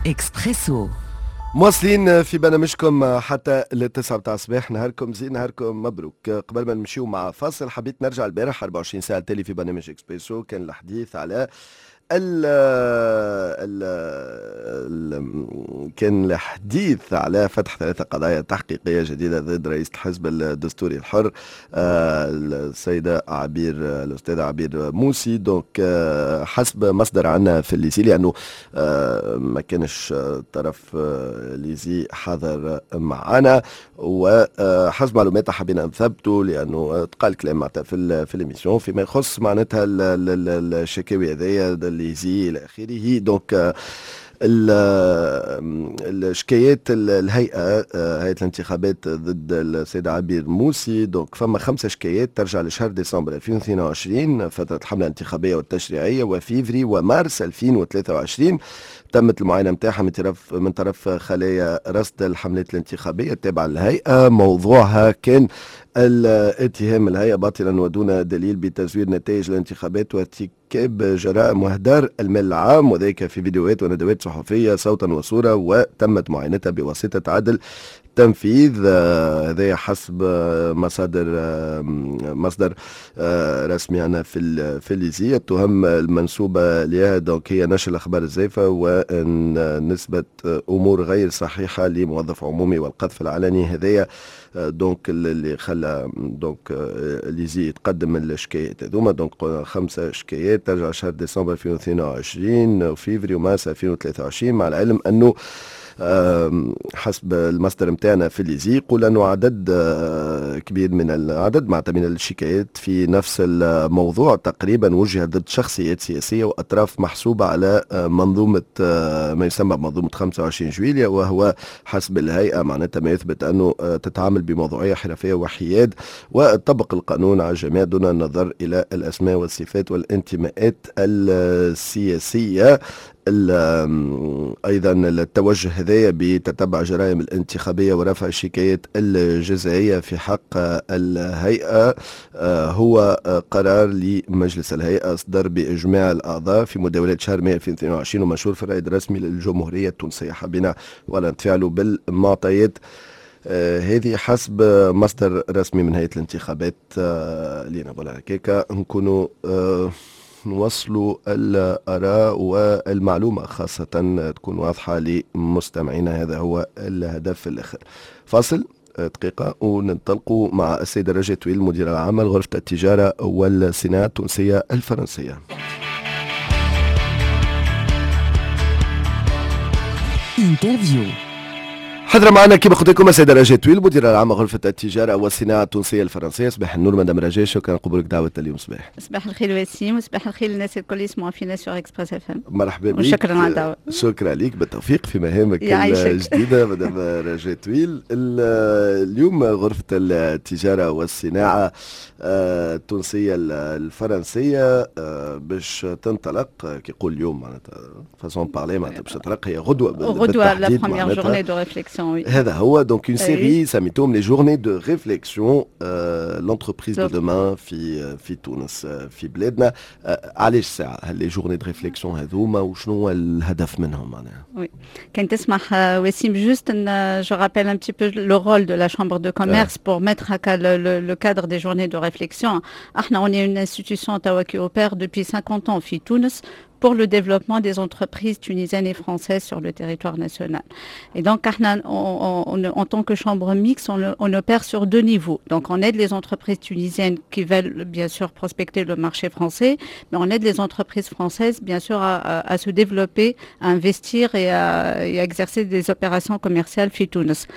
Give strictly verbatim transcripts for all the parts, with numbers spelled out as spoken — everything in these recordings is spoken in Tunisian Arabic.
اكسبريسو. مواصلين في برنامجكم حتى للتسعة بتاع الصباح. نهاركم زين، نهاركم مبروك. قبل ما نمشيو مع فاصل، حبيت نرجع البارح أربعة وعشرين ساعة التالي في برنامج اكسبريسو كان الحديث على ال ال ال كان الحديث على فتح ثلاثة قضايا تحقيقية جديدة ضد رئيس الحزب الدستوري الحر آه، السيدة عبير، الأستاذة عبير موسي. donc آه، حسب مصدر عنا في l'ISIE، لأنه آه، ما كانش طرف l'ISIE حاضر معنا، وحسب معلومات حبينا نثبتوا لأنه تقال كلام معناتها في في l'émission فيما يخص معناتها الشكاوي هذيا l'ISIE الى اخره. donc الشكايات الهيئه، هيئة الانتخابات، ضد السيد عبير موسي، donc فما خمسة شكايات ترجع لشهر ديسمبر ألفين واثنين وعشرين، فترة الحملة الانتخابية والتشريعيه، وفيفري ومارس ألفين وثلاثة وعشرين. تمت المعاينة نتاعها من طرف من طرف خلايا رصد الحملات الانتخابية التابعة للهيئه. موضوعها كان الاتهام الهيئة باطلا ودون دليل بتزوير نتائج الانتخابات وارتكاب جرائم واهدار المال العام، وذلك في فيديوهات وندوات صحفية صوتا وصوره، وتمت معاينتها بواسطة عدل تنفيذ. آه، هذا حسب مصادر آه، مصدر آه، رسمي عنا في في l'ISIE. التهم المنسوبة لها donc هي نشر الاخبار الزائفة ونسبه امور غير صحيحه لموظف عمومي والقذف العلني. هذايا donc اللي خلى donc l'ISIE يتقدم الشكايات هذوما. donc خمسة شكايات ترجع شهر ديسمبر ألفين واثنين وعشرين وفيفري ومارس ألفين وثلاثة وعشرين، مع العلم انه حسب المصدر نتاعنا في l'ISIE يقول انه عدد آه، كبير من العدد معناتها من الشكايات في نفس الموضوع تقريبا وجهت ضد شخصيات سياسية واطراف محسوبة على آه، منظومة آه، ما يسمى بمنظومة خمسة وعشرين جويليا، وهو حسب الهيئة معناتها ما يثبت انه تتعامل بموضوعية، حرفية وحياد، وتطبق القانون على الجميع دون النظر الى الاسماء والصفات والانتماءات السياسيه. ايضا التوجه هذايا بتتبع جرائم الانتخابية ورفع الشكايات الجزائيه في حق الهيئة آه، هو قرار لمجلس الهيئة اصدر باجماع الاعضاء في مداولات شهر مايو ألفين واثنين وعشرين ومنشور في الرائد الرسمي للجمهورية التونسيه. حبينا ولا نتفاعلوا بالمعطيات آه هذه حسب مصدر رسمي من هيئة الانتخابات آه لينا. voilà، هكاكا نكونوا آه نوصلوا الآراء والمعلومة خاصة تكون واضحة لمستمعينا، هذا هو الهدف في الآخر. فاصل دقيقة وننطلقوا مع السيدة رجاء تويل، المديرة العامة لغرفة التجارة والصناعة التونسية الفرنسية. interview. حضر معنا كما قلت لكم السيدة رجاء تويل، المديرة العامة غرفة التجارة والصناعة التونسية الفرنسية. صباح النور مدام رجاء، شكرا قبولك دعوة اليوم صباح. صباح الخير وسيم، وصباح الخير للناس الكل يسمعوا فينا sur Express FM. مرحبا بك. وشكرا على الدعوة. شكرا لك، بالتوفيق في مهامك الجديدة مدام رجاء تويل. اليوم غرفة التجارة والصناعة آه، التونسية الفرنسية آه، باش تنطلق، كي يقول اليوم معناتها façon de parler، معناتها باش تنطلق هي غدوة. غدوة la première journée de réflexion. هذا هو، donc une série سميتهم les journées de réflexion l'entreprise de demain في في تونس، في بلادنا. علاش ساعة les journées de réflexion هذوما وشنو هو الهدف منهم معناها؟ oui، كان تسمح وسيم، juste je rappelle un petit peu le rôle de la chambre de commerce pour mettre هكا le, le, le cadre des journées de réflexion. احنا on est une institution توا qui opère depuis cinquante ans في تونس pour le développement des entreprises tunisiennes et françaises sur le territoire national. Et donc, احنا on, on, en tant que chambre mixte, on, on, opère sur deux niveaux. Donc, on aide les entreprises tunisiennes qui veulent bien sûr prospecter le marché français, mais on aide les entreprises françaises, bien sûr, à, à, à se développer, à investir et à, et à exercer des opérations commerciales في تونس.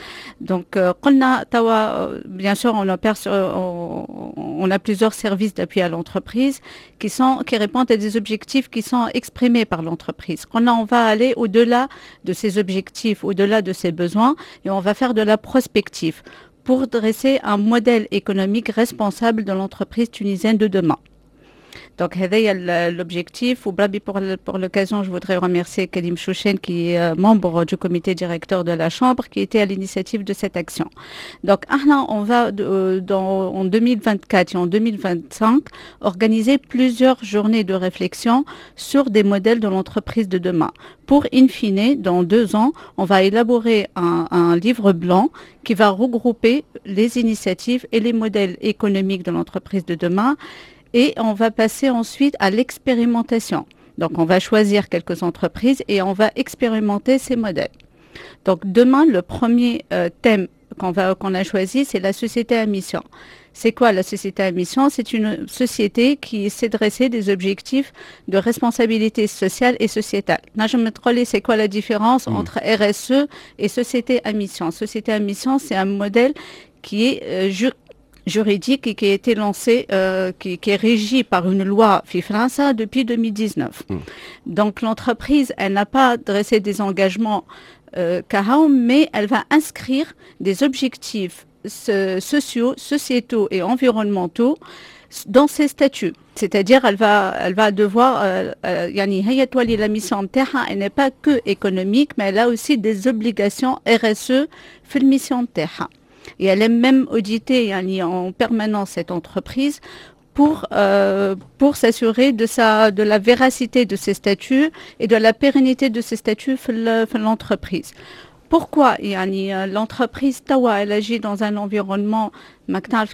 Donc, قلنا توا, bien sûr, on opère sur, on, on a plusieurs services d'appui à l'entreprise qui sont, qui répondent à des objectifs qui sont exprimés par l'entreprise. قلنا on va aller au-delà de ces objectifs, au-delà de ses besoins, et on va faire de la prospective pour dresser un modèle économique responsable de l'entreprise tunisienne de demain. Donc هذايا l'objectif. وبربي pour pour l'occasion, je voudrais remercier Karim Chouchen, qui est membre du comité directeur de la chambre, qui était à l'initiative de cette action. Donc احنا on va dans, en deux mille vingt-quatre et en deux mille vingt-cinq organiser plusieurs journées de réflexion sur des modèles de l'entreprise de demain. Pour, in fine, dans deux ans, on va élaborer un, un livre blanc qui va regrouper les initiatives et les modèles économiques de l'entreprise de demain et on va passer ensuite à l'expérimentation. Donc on va choisir quelques entreprises et on va expérimenter ces modèles. Donc demain, le premier euh, thème qu'on va qu'on a choisi, c'est la société à mission. C'est quoi la société à mission? C'est une société qui s'est dressée des objectifs de responsabilité sociale et sociétale. نجم تقولي c'est quoi la différence mmh. entre R S E et société à mission? Société à mission, c'est un modèle qui est euh, juridique et qui a été lancé, euh, qui, qui, est régi par une loi في فرنسا depuis deux mille dix-neuf. Mmh. Donc l'entreprise, elle n'a pas dressé des engagements euh, كهو, mais elle va inscrire des objectifs sociaux, sociétaux et environnementaux dans ses statuts. C'est-à-dire, elle va, elle va devoir, euh, يعني هي تولي la mission نتاعها, elle n'est pas que économique, mais elle a aussi des obligations R S E في ال mission نتاعها. Et elle est même auditée يعني en permanence, cette entreprise, pour, euh, pour s'assurer de, sa, de la véracité de ses statuts et de la pérennité de ses statuts في l'entreprise. Pourquoi? يعني l'entreprise توا elle agit dans un environnement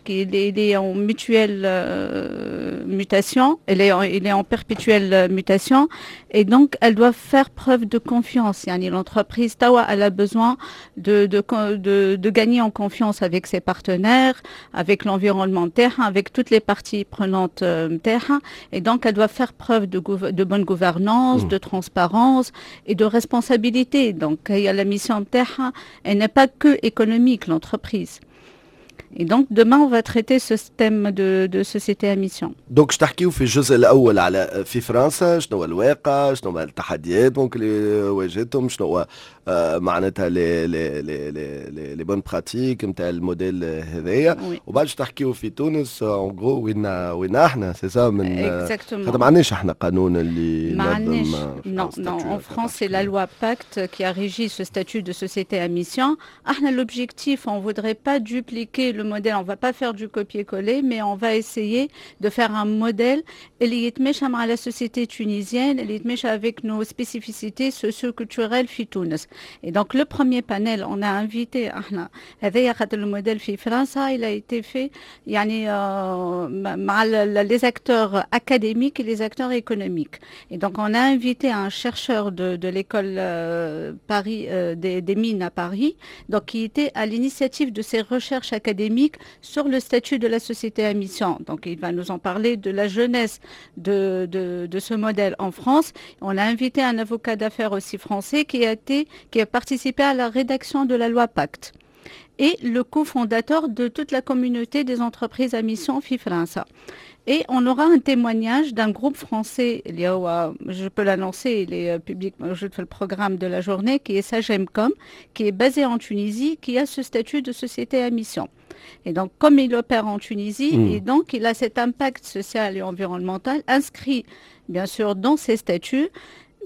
qui est en mutuelle euh, mutation, elle est en, il est en perpétuelle mutation et donc elle doit faire preuve de confiance. يعني l'entreprise توا elle a besoin de, de, de, de gagner en confiance avec ses partenaires, avec l'environnement متاعها, avec toutes les parties prenantes متاعها et donc elle doit faire preuve de, de bonne gouvernance, mmh. de transparence et de responsabilité. Donc il y a la mission متاعها, elle n'est pas que économique, l'entreprise. Et donc demain, on va traiter ce thème de, de société à mission. Donc تحكيو في الجزء الاول على في فرنسا شنو هو الواقع، شنو هو التحديات ممكن اللي واجهتهم، شنو هو معناتها les les les les les bonnes pratiques نتاع ال modèle هذايا، وبعد تحكيو في تونس en gros وين وين احنا, c'est ça? من خاطر ما عندناش احنا قانون اللي ما عندناش. Non, non, en France, c'est la loi Pacte qui a régi ce statut de société à mission. احنا l'objectif, on voudrait pas dupliquer le modèle, on va pas faire du copier-coller, mais on va essayer de faire un modèle اللي يتماشى مع la société tunisienne, اللي يتماشى avec nos spécificités socio-culturelles في تونس. Et donc le premier panel, on a invité احنا هذايا خاطر le modèle في فرنسا, il a été fait يعني مع les acteurs académiques et les acteurs économiques. Et donc on a invité un chercheur de, de l'école euh, Paris euh, des, des mines à Paris, donc qui était à l'initiative de ces recherches académiques sur le statut de la société à mission. Donc il va nous en parler de la jeunesse de, de, de ce modèle en France. On a invité un avocat d'affaires aussi français qui a été qui a participé à la rédaction de la loi Pacte et le cofondateur de toute la communauté des entreprises à mission في فرنسا. Et on aura un témoignage d'un groupe français, je peux l'annoncer, il est public, je fais le programme de la journée, qui est Sagemcom, qui est basé en Tunisie, qui a ce statut de société à mission. Et donc, comme il opère en Tunisie, mmh. et donc il a cet impact social et environnemental inscrit, bien sûr, dans ses statuts,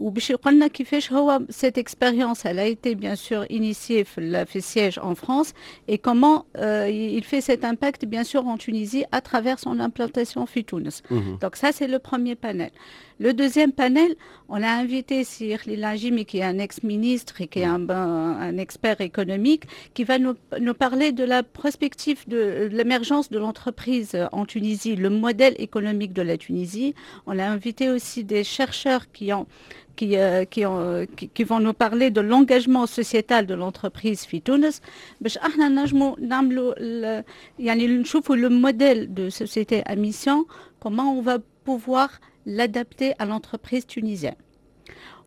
وباش يقولنا كيفاش هو cette expérience, elle a été bien sûr initiée في في siège en France et comment euh, il fait cet impact, bien sûr, en Tunisie à travers son implantation في تونس. Mmh. Donc ça, c'est le premier panel. Le deuxième panel, on a invité سي Khalil Ajimi, qui est un ex-ministre et qui est un, un, expert économique, qui va nous, nous parler de la prospective de l'émergence de l'entreprise en Tunisie, le modèle économique de la Tunisie. On a invité aussi des chercheurs qui ont qui, euh, qui, ont, qui, qui vont nous parler de l'engagement sociétal de l'entreprise في تونس باش احنا نجموا نعملوا يعني نشوفوا le modèle de société à mission, comment on va pouvoir l'adapter à l'entreprise tunisienne.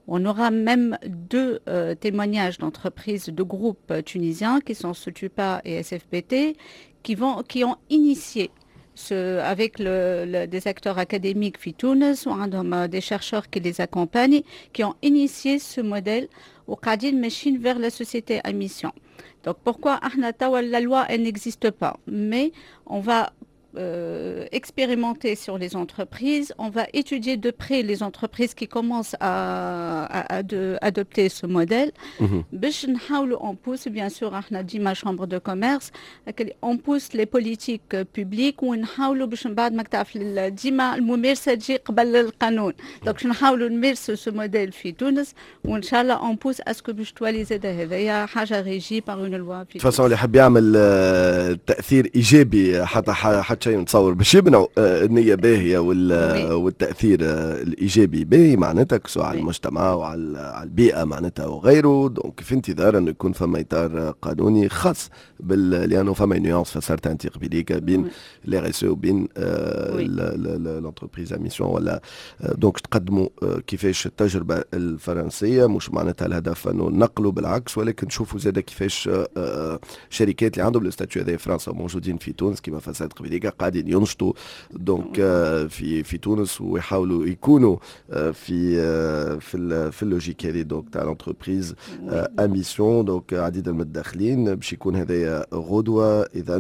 On aura même deux euh, témoignages d'entreprises, de groupes tunisiens qui sont Sotupa et S F B T, qui, vont, qui ont initié ce, avec le, le, des acteurs académiques في تونس وعندهم des chercheurs qui les accompagnent, qui ont initié ce modèle وقاعدين ماشيين vers la société à mission. Donc pourquoi احنا توا la loi, elle n'existe pas, mais on va euh, expérimenter sur les entreprises. On va étudier de près les entreprises qui commencent à, à, à de, adopter ce modèle. باش نحاولوا on pousse bien sûr، احنا ديما chambre de commerce on pousse les politiques publiques، ونحاولوا باش من بعد ما تعرف ديما الممارسة تجي قبل القانون، donc باش نحاولوا نمارسوا ce modèle في تونس، وان شاء الله on pousse à ce que باش تولي زاد هذايا حاجة régie par une loi. في façon اللي يحب يعمل آه، تاثير ايجابي، حتى حتى شيء نتصور باش يمنعوا آه، النية باهيه والتاثير آه، الايجابي باهي معناتها سواء على المجتمع وعلى البيئة معناتها وغيره. donc في انتظار انه يكون فما اطار قانوني خاص بال لانه فما nuance فسرتها انت قبيليك بين la RSE وبين l'entreprise à mission ولا. donc تقدموا كيفاش التجربة الفرنسيه، مش معناتها الهدف انه نقلوا، بالعكس، ولكن نشوفوا زاد كيفاش شركات اللي عندهم le statut هذا في فرنسا موجودين في تونس كما فسرت قبيليك قاعدين ينشطوا donc في في تونس ويحاولوا يكونوا في في في ال logique هذه donc تاع l'entreprise à mission. donc عديد المتداخلين باش يكون هذايا غدوه. اذا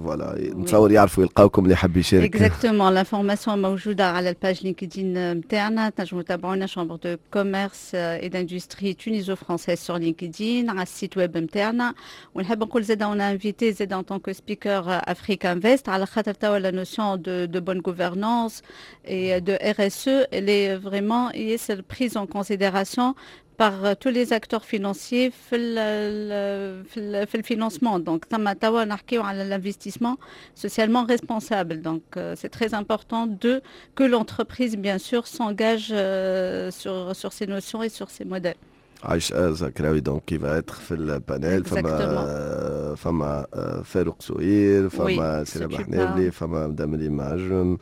voilà، نتصور يعرفوا يلقاوكم اللي يحب يشارك. exactement، l'information موجودة على ال page LinkedIn نتاعنا، تنجموا تتابعونا chambre de commerce et d'industrie tuniso-française sur LinkedIn، على ال site web نتاعنا. ونحب نقول زاد on a invité زاد en tant que speaker AfriquInvest، على خاطر توا la notion de de bonne gouvernance et de RSE elle est vraiment ياسر prise en considération par tous les acteurs financiers في ال في, في ال financement. donc ثم توا نحكيو على l'investissement socialement responsable، donc c'est très important de que l'entreprise bien sûr s'engage sur sur ces notions et sur ces modèles. عايش زكراوي donc qui va être في ال panel، فما فما فاروق سوير، فما سيرة حنابلي، فما مدام ريم عجم،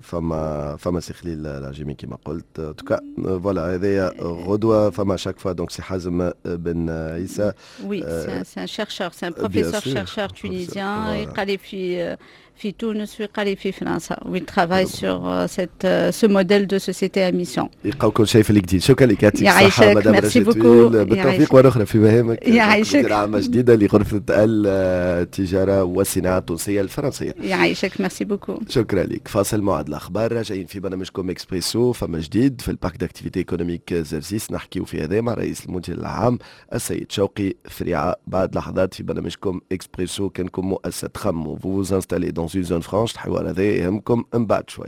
فما فما سي خليل العجيمي كما قلت. en tout cas voilà، هذايا غدوه. فما chaque fois donc سي حازم بن عيسى. oui، c'est un chercheur، c'est un professeur chercheur tunisien، يقري في في تونس ويقري في فرنسا و il travaille sur cette ce modèle de société à mission. يلقاو كل شيء في LinkedIn. شكرا لك، يعطيك الصحة مدام. merci beaucoup. بالتوفيق واخرى في مهامك. يعيشك. عامة جديدة لغرفة التجارة والصناعة التونسية الفرنسية. يعيشك، merci beaucoup. شكرا لك. فاصل، موعد الاخبار، راجعين في برنامجكم اكسبريسو. فما جديد في ال parc d'activités économiques جرجيس، نحكيو في هذا مع رئيس المدير العام السيد شوقي فريعه بعد لحظات في برنامجكم اكسبريسو. كانكم مؤسسة تخموا vous vous installez dans une zone franche، الحوار هذا يهمكم من بعد شوي.